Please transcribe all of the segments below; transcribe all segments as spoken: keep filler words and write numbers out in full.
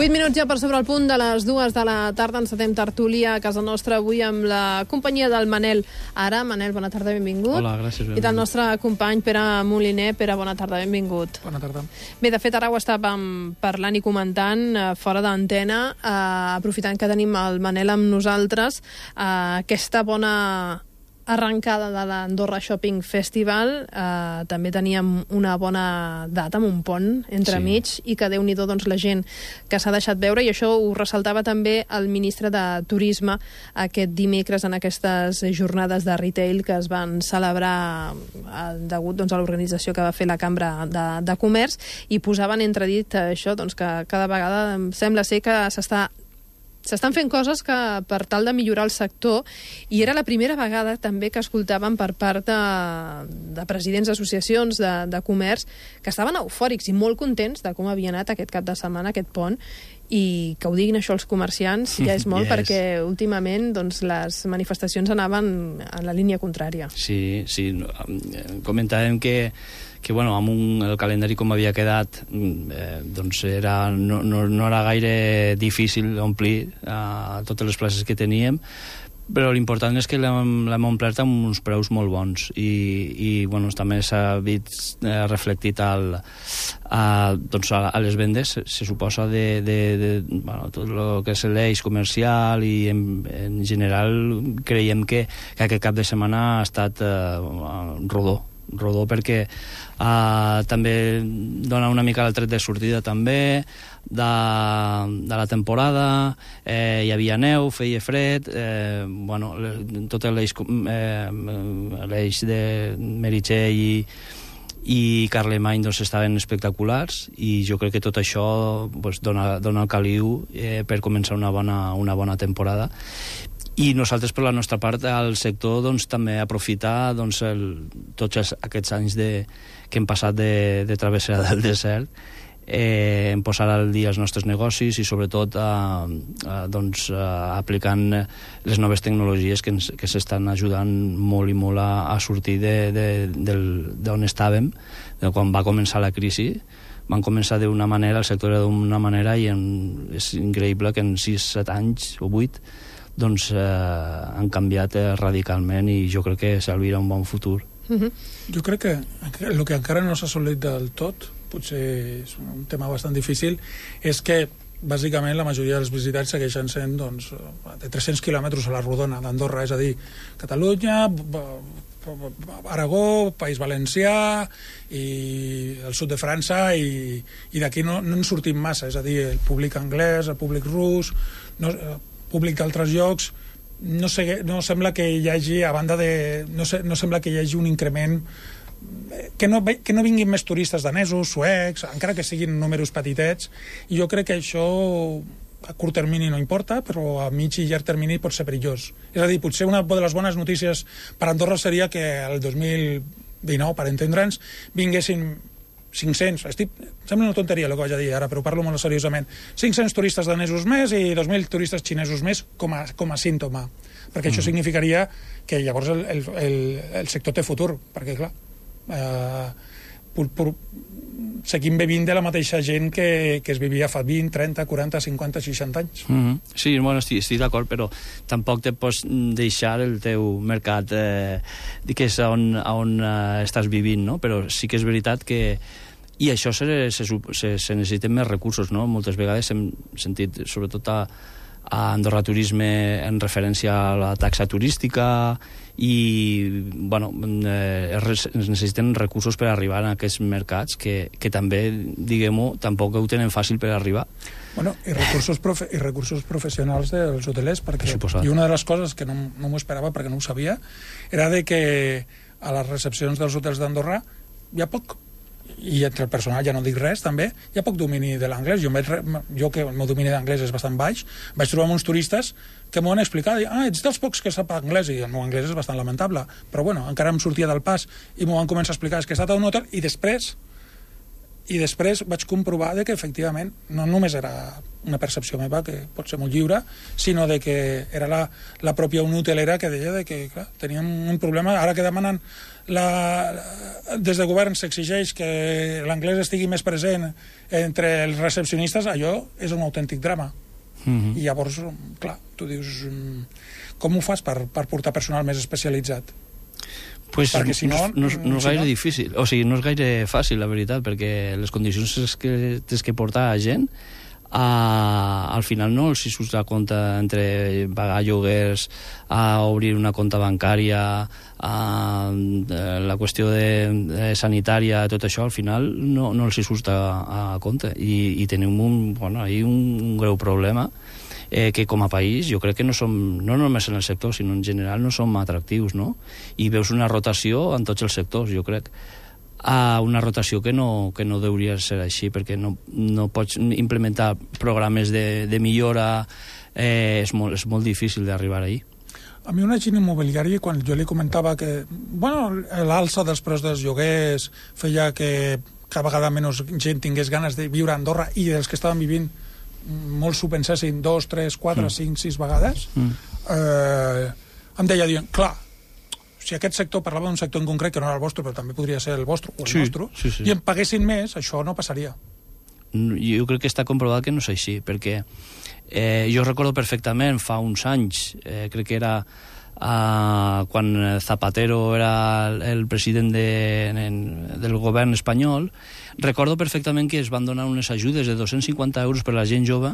vuit minuts ja per sobre el punt de les dues de la tarda. Encetem tertúlia a casa nostra avui amb la companyia del Manel Ara. Manel, bona tarda, benvingut. Hola, gràcies. Benvingut. I del nostre company Pere Moliner. Pere, bona tarda, benvingut. Bona tarda. Bé, de fet, ara ho estàvem parlant i comentant eh, fora d'antena, eh, aprofitant que tenim el Manel amb nosaltres, eh, aquesta bona arrencada de l'Andorra Shopping Festival. Eh, també teníem una bona data amb un pont entremig, sí. I que Déu-n'hi-do, doncs, la gent que s'ha deixat veure, i això ho ressaltava també el ministre de Turisme aquest dimecres en aquestes jornades de retail que es van celebrar eh, degut, doncs, a l'organització que va fer la Cambra de, de Comerç, i posaven entredit això, doncs, que cada vegada sembla ser que s'està S'estan fent coses que per tal de millorar el sector, i era la primera vegada també que escoltàvem per part de, de presidents d'associacions de, de comerç que estaven eufòrics i molt contents de com havia anat aquest cap de setmana, aquest pont, i que ho diguin això els comerciants ja és molt, yes. Perquè últimament, doncs, les manifestacions anaven en la línia contrària. Sí, sí. Comentàvem que que bueno, amb un, el calendari com havia quedat, eh, doncs era, no, no, no era gaire difícil omplir eh, totes les places que teníem, però l'important és que l'hem omplert amb uns preus molt bons, i, i bueno, també s'ha vist eh, reflectit al, a, doncs a, a les vendes, se, se suposa, de, de, de bueno, tot el que és l'eix comercial, i en, en general creiem que, que aquest cap de setmana ha estat eh, rodó, rodó perquè uh, també dona una mica el tret de sortida també de, de la temporada. Eh, hi havia neu, feia fred, eh, bueno, tot l'eix eh, l'eix de Meritxell i i Carlemany, doncs, estaven espectaculars, i jo crec que tot això, doncs, dona, dona el caliu eh, per començar una bona, una bona temporada. I nosaltres, per la nostra part, al sector, doncs, també aprofitar, doncs, el, tots aquests anys de, que hem passat de, de travessera del desert, eh, en posar al dia els nostres negocis i, sobretot, eh, eh, doncs, eh, aplicant les noves tecnologies que, ens, que s'estan ajudant molt i molt a, a sortir d'on estàvem, de quan va començar la crisi. Van començar d'una manera, el sector era d'una manera, i en, és increïble que en sis set anys o vuit doncs eh, han canviat eh, radicalment, i jo crec que s'albira un bon futur. Uh-huh. Jo crec que el que encara no s'ha assolit del tot, potser és un tema bastant difícil, és que bàsicament la majoria dels visitants segueixen sent, doncs, de tres-cents quilòmetres a la rodona d'Andorra, és a dir, Catalunya, Aragó, País Valencià i el sud de França, i, i d'aquí no, no en sortim massa, és a dir, el públic anglès, el públic rus, no, públic d'altres llocs, no, sé, no sembla que hi hagi, a banda de... No, se, no sembla que hi hagi un increment, que no, que no vinguin més turistes danesos, suecs, encara que siguin números petitets, i jo crec que això a curt termini no importa, però a mig i llarg termini pot ser perillós. És a dir, potser una de les bones notícies per Andorra seria que el dos mil dinou, per entendre'ns, vinguessin cinc-cents, estic, sembla una tonteria el que vaig a dir ara, però parlo molt seriosament, cinc-cents turistes danesos més i dos mil turistes xinesos més com a, com a símptoma, perquè mm. això significaria que llavors el, el, el, el sector té futur, perquè clar eh, pur, pur, seguim vivint de la mateixa gent que, que es vivia fa vint, trenta, quaranta, cinquanta, seixanta anys. Mm -hmm. Sí, bueno, estic, estic d'acord, però tampoc te pots deixar el teu mercat eh, que és on, on eh, estàs vivint, no? Però sí que és veritat que i això se, se, se, se necessiten més recursos, no? Moltes vegades hem sentit, sobretot a, a Andorra Turisme, en referència a la taxa turística, i bueno, eh, es necessiten recursos per arribar a aquests mercats que, que també, diguem-ho, tampoc ho tenen fàcil per arribar. Bueno, i recursos, profe i recursos professionals dels hotelers, perquè i una de les coses que no, no m'ho esperava perquè no ho sabia era de que a les recepcions dels hotels d'Andorra hi ha poc, i entre el personal ja no dic res, també hi ha poc domini de l'anglès. Jo, jo que el meu domini d'anglès és bastant baix, vaig trobar uns turistes que m'ho han explicat, i, ah, ets dels pocs que sap anglès, i el meu anglès és bastant lamentable, però bueno, encara em sortia del pas i m'ho van començar a explicar, és que he estat a un hotel, i després I després vaig comprovar de que efectivament no només era una percepció meva, que pot ser molt lliure, sinó de que era la, la pròpia Unió Hotelera que deia de que clar, teníem un problema. Ara que demanen la, des de govern s'exigeix que l'anglès estigui més present entre els recepcionistes, allò és un autèntic drama. Mm-hmm. I llavors, clar, tu dius, com ho fas per, per portar personal més especialitzat? Pues perquè si no, no, no, no és gaire si no... difícil, o sigui, no és gaire fàcil, la veritat, perquè les condicions que tens que portar a gent, a, al final no els hi surt la compte entre pagar lloguers, a obrir una compta bancària, a, la qüestió de, de sanitària, tot això, al final no, no els hi surt a, a compte. I, i tenim un, bueno, ahí un, un greu problema, eh, que com a país jo crec que no som, no només en el sector, sinó en general no som atractius, no? I veus una rotació en tots els sectors, jo crec, a una rotació que no, que no hauria de ser així, perquè no, no pots implementar programes de, de millora, eh, és, molt, és molt difícil d'arribar ahí. A mi un agent immobiliari, quan jo li comentava que bueno, l'alça dels preus dels lloguers feia que cada vegada menys gent tingués ganes de viure a Andorra i dels que estaven vivint molts s'ho pensessin dos, tres, quatre, mm. cinc, sis vegades, mm. eh, em deia dient, clar, si aquest sector, parlava d'un sector en concret que no era el vostre, però també podria ser el vostre o el sí, nostre, sí, sí. i en paguessin més, això no passaria. Jo crec que està comprovat que no és així, perquè eh, jo recordo perfectament fa uns anys, eh, crec que era eh, quan Zapatero era el president de, en, del govern espanyol, recordo perfectament que es van donar unes ajudes de dos-cents cinquanta euros per a la gent jove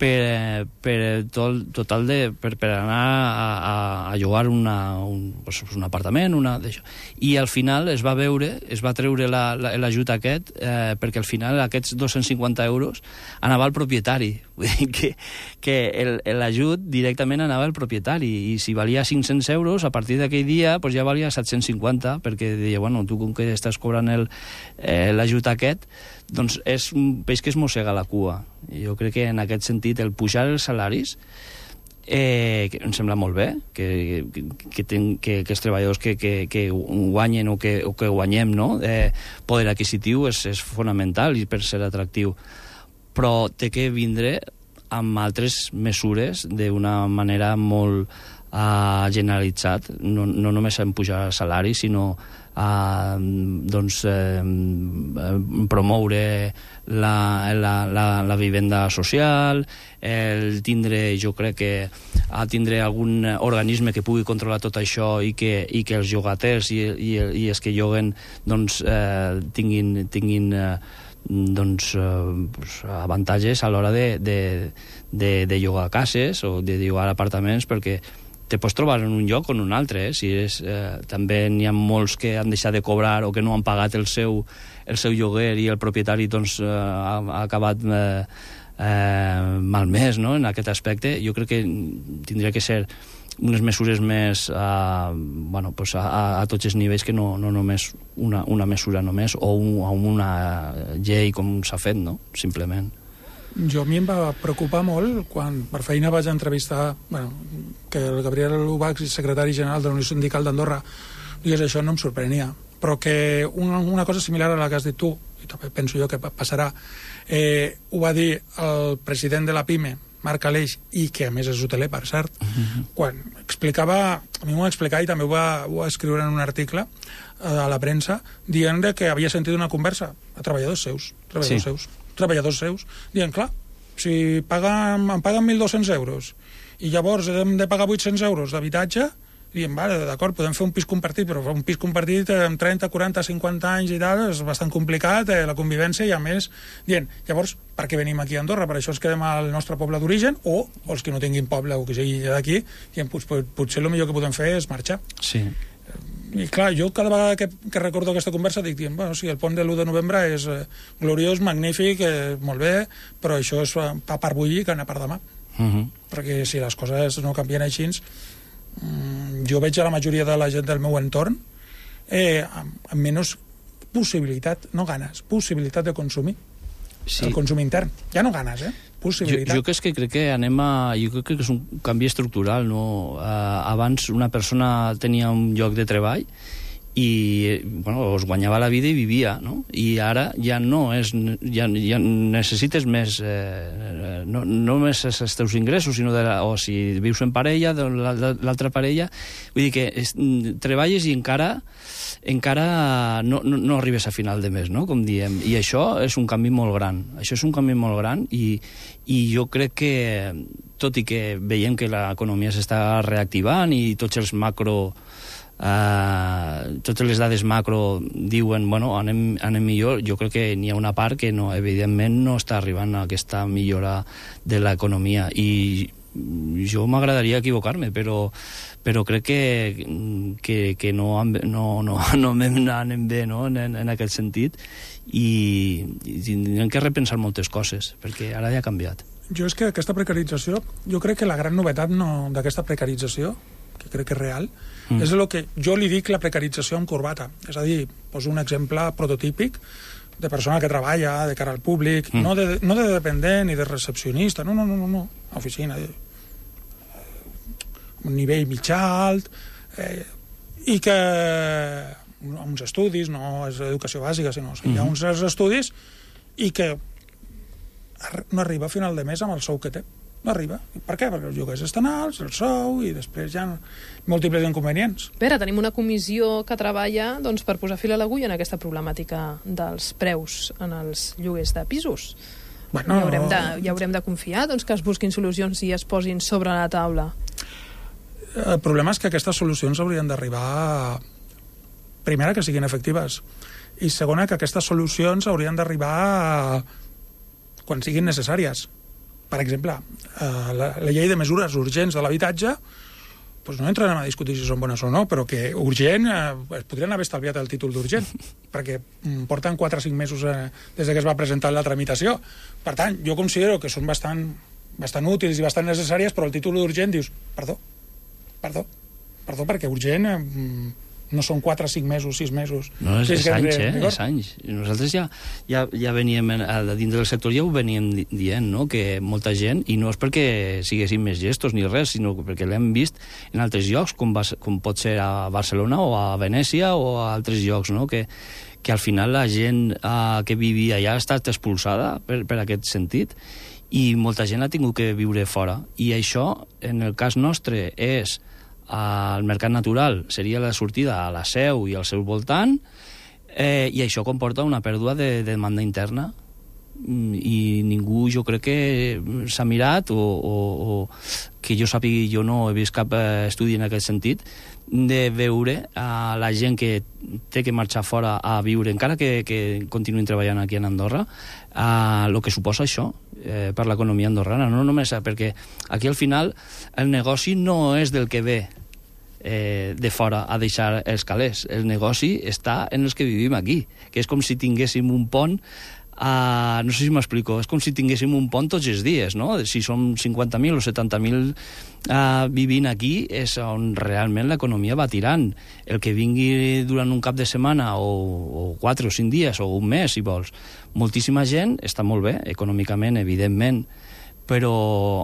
per, per tot, total de, per, per anar a, a, a llogar una, un, pues, un apartament, una d'això. I al final es va veure, es va treure l'ajut la, aquest, eh, perquè al final aquests dos-cents cinquanta euros anava al propietari. Vull dir que, que l'ajut directament anava al propietari, i si valia cinc-cents euros, a partir d'aquell dia pues ja valia set-cents cinquanta, perquè deia, bueno, tu com que estàs cobrant l'ajut eh, aquest, doncs és un peix que es mossega la cua. I jo crec que en aquest sentit el pujar els salaris eh, que em sembla molt bé que, que, que, ten, que, que els treballadors que, que, que guanyen o que, o que guanyem, no? eh, poder adquisitiu és, és fonamental i per ser atractiu, però té que vindre amb altres mesures d'una manera molt uh, generalitzat, no, no només en pujar el salari, sinó a doncs, eh, promoure la, la, la, la vivenda social, el tindre, jo crec que a tindre algun organisme que pugui controlar tot això i que, i que els llogaters i, i, i els que lloguen doncs, eh, tinguin, tinguin eh, doncs, eh, avantatges a l'hora de, de, de, de llogar cases o de llogar apartaments, perquè te pots trobar en un lloc o en un altre, eh? Si és, eh, també n'hi ha molts que han deixat de cobrar o que no han pagat el seu, el seu lloguer i el propietari doncs, eh, ha, ha acabat eh, eh, malmès, no? En aquest aspecte. Jo crec que tindria que ser unes mesures més eh, bueno, pues a, a tots els nivells, que no, no només una, una mesura només o un, una llei com s'ha fet, no? Simplement. Jo a mi em va preocupar molt quan per feina vaig entrevistar, bueno, que el Gabriel Ubach, secretari general de la Unió Sindical d'Andorra, digués això, no em sorprenia, però que una, una cosa similar a la que has dit tu, i també penso jo que passarà, eh, ho va dir el president de la PIME, Marc Aleix, i que a més és hoteler, per cert, uh-huh. quan explicava, a mi m'ho va explicar i també ho va, ho va escriure en un article eh, a la premsa, dient que havia sentit una conversa a treballadors seus, treballadors sí. seus, treballadors seus, dient, clar, si paguen, em paguen mil dos-cents euros i llavors hem de pagar vuit-cents euros d'habitatge, diem, vale, d'acord, podem fer un pis compartit, però un pis compartit amb trenta, quaranta, cinquanta anys i tal, és bastant complicat, eh, la convivència, i a més, dient, llavors, per què venim aquí a Andorra? Per això ens quedem al nostre poble d'origen, o, o els que no tinguin poble o que sigui d'aquí, dient, potser, potser el millor que podem fer és marxar. Sí. I clar, jo cada vegada que, que recordo aquesta conversa dic, dient, bueno, sí, el pont de l'u de novembre és eh, gloriós, magnífic, eh, molt bé, però això és pa per bullir que anar per demà. Uh-huh. Perquè si les coses no canvien així, mm, jo veig a la majoria de la gent del meu entorn eh, amb, amb menys possibilitat, no ganes, possibilitat de consumir. Sí. El consum intern. Ja no ganes, eh? Possibilitat. Jo, jo que, crec que anem a... Jo crec que és un canvi estructural, no? Uh, abans una persona tenia un lloc de treball i bueno, es guanyava la vida i vivia, no? I ara ja no és, ja, ja necessites més eh, no només els teus ingressos, sinó de la, o si vius en parella, de l'altra parella, vull dir que es, treballes i encara encara no, no, no arribes a final de mes, no? Com diem, i això és un canvi molt gran, això és un canvi molt gran i, i jo crec que tot i que veiem que l'economia s'està reactivant i tots els macro Uh, totes les dades macro diuen, bueno, anem, anem millor, jo crec que n'hi ha una part que no, evidentment no està arribant a aquesta millora de l'economia i jo m'agradaria equivocar-me, però, però crec que, que, que no, no, no, no anem bé, no? en, en aquest sentit i, i tindrem que repensar moltes coses perquè ara ja ha canviat. Jo és que aquesta precarització, jo crec que la gran novetat no, d'aquesta precarització, que crec que és real, mm. és el que jo li dic la precarització amb corbata. És a dir, poso un exemple prototípic de persona que treballa de cara al públic, mm. no, de, no de dependent ni de recepcionista, no, no, no, no, no. Oficina, eh, un nivell mitjà alt, eh, i que amb uns estudis, no és educació bàsica, sinó o sigui, mm. hi ha uns estudis i que no arriba a final de mes amb el sou que té. No arriba. Per què? Perquè els lloguers estan alts, el sou, i després hi ha múltiples inconvenients. Pere, tenim una comissió que treballa doncs, per posar fil a l'agulla en aquesta problemàtica dels preus en els lloguers de pisos. Bueno, ja, haurem de, ja haurem de confiar doncs, que es busquin solucions i es posin sobre la taula. El problema és que aquestes solucions haurien d'arribar, primera, que siguin efectives, i segona, que aquestes solucions haurien d'arribar quan siguin necessàries. Per exemple, la, la llei de mesures urgents de l'habitatge, doncs no entrarem a discutir si són bones o no, però que urgent, eh, podrien haver estalviat el títol d'urgent, perquè porten quatre o cinc mesos eh, des que es va presentar la tramitació. Per tant, jo considero que són bastant, bastant útils i bastant necessàries, però el títol d'urgent dius, perdó, perdó, perdó, perquè urgent... Eh, no són quatre, cinc mesos, sis mesos. No, és, és anys, eh? És anys. Nosaltres ja, ja, ja veníem, a dins del sector ja ho veníem dient, no?, que molta gent, i no és perquè siguessin més gestos ni res, sinó perquè l'hem vist en altres llocs, com, va, com pot ser a Barcelona o a Venècia o a altres llocs, no?, que, que al final la gent uh, que vivia allà ha estat expulsada per, per aquest sentit, i molta gent ha tingut que viure fora. I això, en el cas nostre, és al mercat natural, seria la sortida a la Seu i al seu voltant, eh, i això comporta una pèrdua de, de demanda interna, i ningú, jo crec que s'ha mirat, o, o, o que jo sàpiga, jo no he vist cap estudi en aquest sentit, de veure a la gent que té que marxar fora a viure, encara que, que continuïn treballant aquí en Andorra, a el que suposa això eh, per l'economia andorrana, no només perquè aquí al final el negoci no és del que ve eh, de fora a deixar els calés, el negoci està en els que vivim aquí, que és com si tinguéssim un pont. Uh, no sé si m'explico, és com si tinguéssim un pont tots els dies, no? Si som cinquanta mil o setanta mil uh, vivint aquí, és on realment l'economia va tirant. El que vingui durant un cap de setmana o, o quatre o cinc dies o un mes, si vols, moltíssima gent, està molt bé, econòmicament, evidentment, però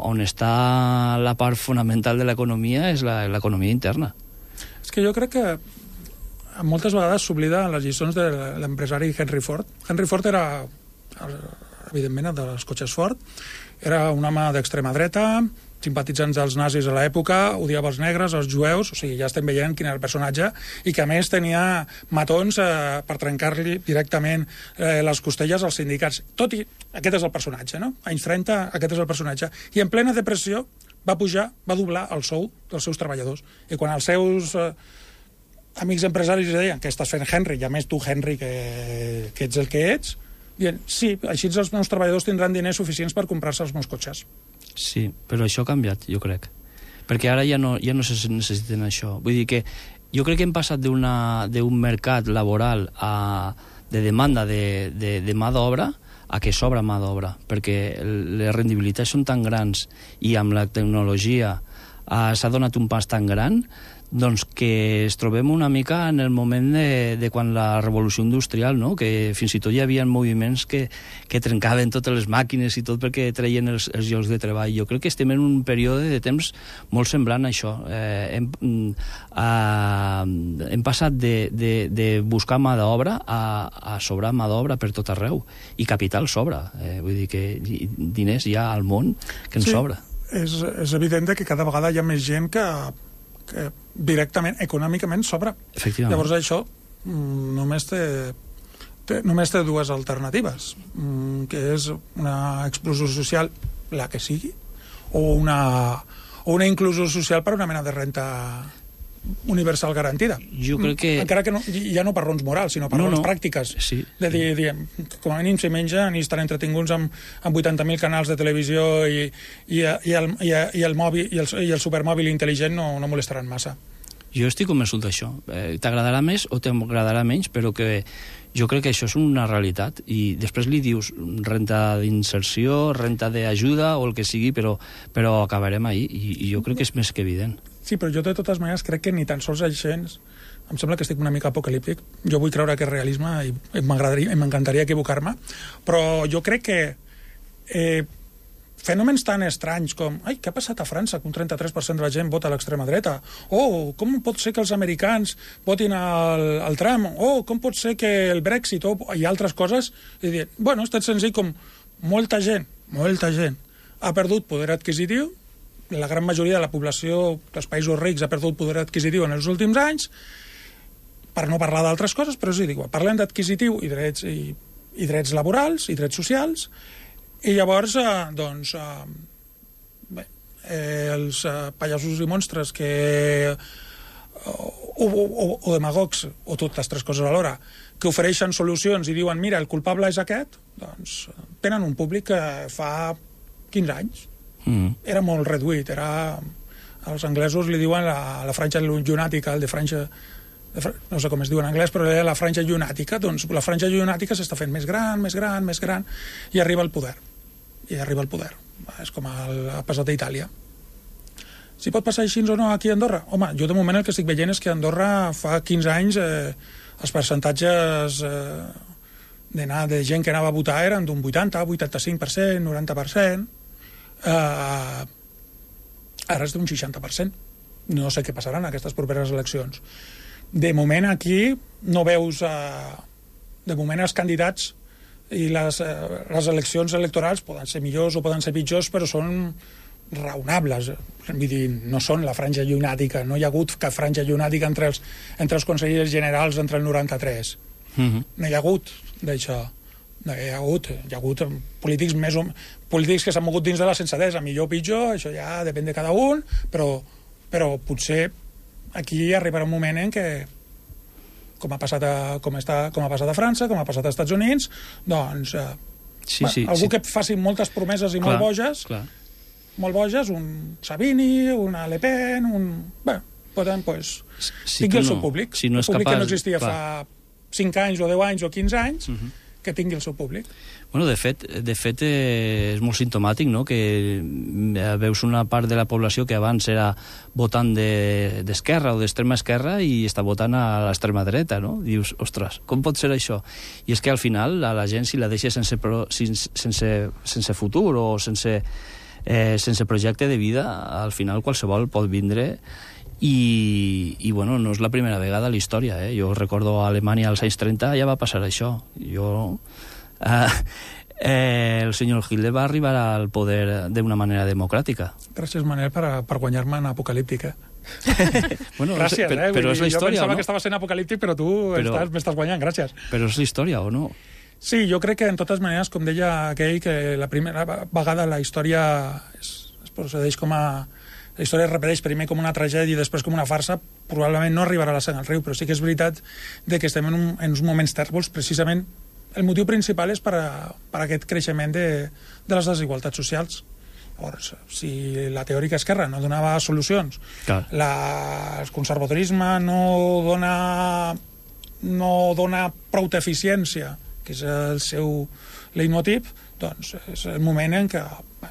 on està la part fonamental de l'economia és l'economia interna. És que jo crec que moltes vegades s'oblida les lliçons de l'empresari Henry Ford. Henry Ford era, evidentment, dels cotxes Ford, era un home d'extrema dreta, simpatitzants dels nazis a l'època, odiava els negres, els jueus, o sigui, ja estem veient quin era el personatge, i que a més tenia matons eh, per trencar-li directament eh, les costelles als sindicats. Tot i, aquest és el personatge, no? Anys trenta, aquest és el personatge. I en plena depressió va pujar, va doblar el sou dels seus treballadors. I quan els seus eh, amics empresaris deien que estàs fent, Henry, i a més tu, Henry, que, que ets el que ets, dient, sí, així els meus treballadors tindran diners suficients per comprar-se els meus cotxes. Sí, però això ha canviat, jo crec. Perquè ara ja no, ja no se necessiten això. Vull dir que jo crec que hem passat d'un mercat laboral a, de demanda de, de, de mà d'obra a que sobra mà d'obra, perquè les rendibilitats són tan grans i amb la tecnologia uh, s'ha donat un pas tan gran, doncs que es trobem una mica en el moment de, de quan la revolució industrial, no? Que fins i tot hi havia moviments que, que trencaven totes les màquines i tot perquè treien els, els llocs de treball. Jo crec que estem en un període de temps molt semblant a això. Eh, hem, eh, hem passat de, de, de buscar mà d'obra a, a sobrar mà d'obra per tot arreu, i capital sobra. Eh, vull dir que diners hi ha al món que en sí, sobra. És, és evident que cada vegada hi ha més gent que que directament, econòmicament, sobra. Llavors això mm, només té, té, només té dues alternatives, mm, que és una exclusió social, la que sigui, o una, o una inclusió social per una mena de renta universal garantida. Jo crec que... Encara que no, ja no per raons morals, sinó per no, raons no. pràctiques. Sí. De dir, diem, com a mínim s'hi mengen i estan entretinguts amb, amb vuitanta mil canals de televisió i, i, i, el, i, i, el mòbil, i, el, i el supermòbil intel·ligent no, no molestaran massa. Jo estic convençut d'això. Eh, T'agradarà més o t'agradarà menys, però que jo crec que això és una realitat, i després li dius renta d'inserció, renta d'ajuda o el que sigui, però, però acabarem ahí, i, i jo crec que és més que evident. Sí, però jo de totes maneres crec que ni tan sols això, em sembla que estic una mica apocalíptic, jo vull creure que és realisme i m'encantaria equivocar-me, però jo crec que eh, fenòmens tan estranys com ai, què ha passat a França, que un trenta-tres per cent de la gent vota a l'extrema dreta, o oh, com pot ser que els americans votin al, al Trump, o oh, com pot ser que el Brexit, oh, i altres coses, i dir, bueno, és tan senzill com molta gent, molta gent ha perdut poder adquisitiu, la gran majoria de la població dels països rics ha perdut poder adquisitiu en els últims anys, per no parlar d'altres coses, però sí, dic, parlem d'adquisitiu i drets, i, i drets laborals i drets socials, i llavors, eh, doncs, eh, bé, eh, els eh, pallassos i monstres que o, o, o, o demagogs, o totes tres coses alhora, que ofereixen solucions i diuen, mira, el culpable és aquest, doncs tenen un públic que fa quinze anys. Mm. Era molt reduït, era... Els anglesos li diuen la, la franja llunàtica, el de franja... De, no sé com es diu en anglès, però era la franja llunàtica, doncs la franja llunàtica s'està fent més gran, més gran, més gran, i arriba el poder. I arriba el poder. És com el, ha passat a Itàlia. Si pot passar així o no aquí a Andorra? Home, jo de moment el que estic veient és que a Andorra fa quinze anys eh, els percentatges eh, d'anar de gent que anava a votar eren d'un vuitanta, vuitanta-cinc per cent, noranta per cent. Uh, ara és d'un seixanta per cent. No sé què passarà en aquestes properes eleccions. De moment aquí no veus uh, de moment els candidats i les, uh, les eleccions electorals poden ser millors o poden ser pitjors, però són raonables. Vull dir, no són la franja llunàtica, no hi ha hagut cap franja llunàtica entre els, entre els consellers generals entre el noranta-tres. Mm-hmm. No hi ha hagut d'això. No, hi ha hagut, hi ha hagut polítics més o, polítics que s'han mogut dins de la sensatesa, millor o pitjor, això ja depèn de cada un, però, però potser aquí arribarà un moment en què, com ha passat a, com està, com ha passat a França, com ha passat als Estats Units, doncs eh, sí, va, sí, algú sí. que faci moltes promeses i clar, molt boges, clar. molt boges, un Savini, una Le Pen, un... Bé, poden, pues, si tingui el no, seu públic, si no el públic capaç, que no existia clar. fa cinc anys o deu anys o quinze anys, uh-huh. que tingui el seu públic. Bueno, de fet, de fet eh, és molt simptomàtic, no?, que veus una part de la població que abans era votant d'esquerra de, o d'extrema esquerra i està votant a l'extrema dreta, no? Dius, ostres, com pot ser això? I és que al final a la gent, si la deixa sense, pro, sense, sense futur o sense, eh, sense projecte de vida, al final qualsevol pot vindre. I, i bueno, no és la primera vegada a la història, eh? Jo recordo a Alemanya als anys trenta ja va passar això. Jo... Eh, eh, el senyor Hitler va arribar al poder d'una manera democràtica. Gràcies, Manel, per, per guanyar-me en apocalíptica. Bueno, gràcies, però, eh? però és la història, jo pensava no? que estava sent apocalíptic, però tu però, m'estàs guanyant, gràcies. Però és la història, o no? Sí, jo crec que, en totes maneres, com deia aquell, que la primera vegada la història es, es procedeix com a... La història es repeteix primer com una tragèdia i després com una farsa, probablement no arribarà a la sang al riu, però sí que és veritat de que estem en, un, en uns moments tèrbols, precisament. El motiu principal és per, a, per a aquest creixement de, de les desigualtats socials. Llavors, si la teòrica esquerra no donava solucions, la, el conservadorisme no dona, no dona prou d'eficiència, que és el seu leitmotiv, doncs és el moment en què bé,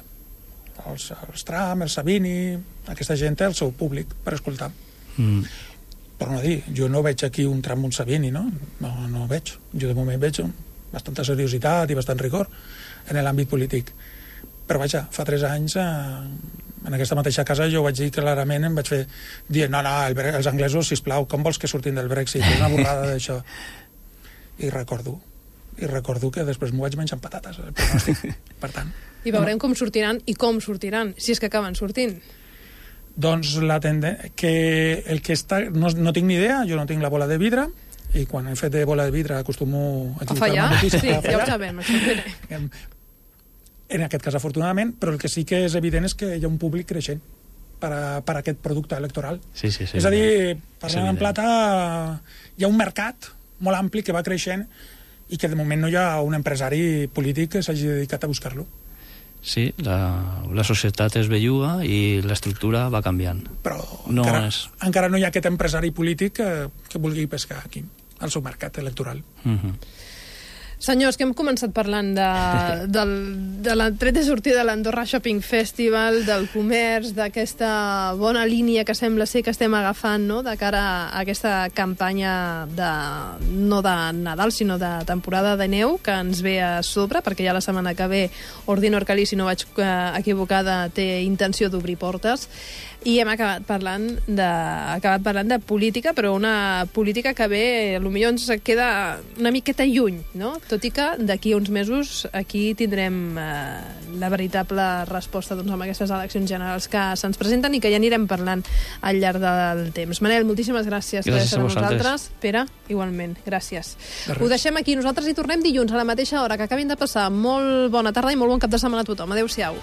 els, els Trump, el Savini, aquesta gent té el seu públic per escoltar. Mm. Però no dir, jo no veig aquí un Trump, un Savini, no? No, no ho veig. Jo de moment veig bastanta seriositat i bastant rigor en l'àmbit polític. Però vaja, fa tres anys eh, en aquesta mateixa casa jo vaig dir clarament, em vaig fer dir, no, no, el, els anglesos, sisplau, com vols que surtin del Brexit? És una borrada d'això. I recordo i recordo que després m'ho vaig menjar amb patates, el pronòstic, per tant. I veurem no. com sortiran i com sortiran, si és que acaben sortint. Doncs la tendència, que el que està, no, no tinc ni idea, jo no tinc la bola de vidre, i quan he fet de bola de vidre acostumo a equivocar-me. A fallar? Sí, ja ho sabem, això. En aquest cas, afortunadament, però el que sí que és evident és que hi ha un públic creixent per a, per a aquest producte electoral. Sí, sí, sí. És a dir, parlant en plata, hi ha un mercat molt ampli que va creixent i que de moment no hi ha un empresari polític que s'hagi dedicat a buscar-lo. Sí, la, la societat es belluga i l'estructura va canviant. Però no encara, és... encara no hi ha aquest empresari polític que, que vulgui pescar aquí, al seu mercat electoral. Uh-huh. Senyors, que hem començat parlant de, del, de la tret de sortida de l'Andorra Shopping Festival, del comerç, d'aquesta bona línia que sembla ser que estem agafant, no?, de cara a aquesta campanya de, no de Nadal, sinó de temporada de neu, que ens ve a sobre, perquè ja la setmana que ve Ordino Orcalí, si no vaig eh, equivocada, té intenció d'obrir portes. I hem acabat parlant de, acabat parlant de política, però una política que bé, potser ens queda una miqueta lluny, no? Tot i que d'aquí uns mesos aquí tindrem eh, la veritable resposta, doncs, amb aquestes eleccions generals que se'ns presenten i que ja anirem parlant al llarg del temps. Manel, moltíssimes gràcies, gràcies per estar amb nosaltres. Pere, igualment, gràcies. Ho deixem aquí, nosaltres hi tornem dilluns a la mateixa hora. Que acabin de passar molt bona tarda i molt bon cap de setmana a tothom. Adéu-siau.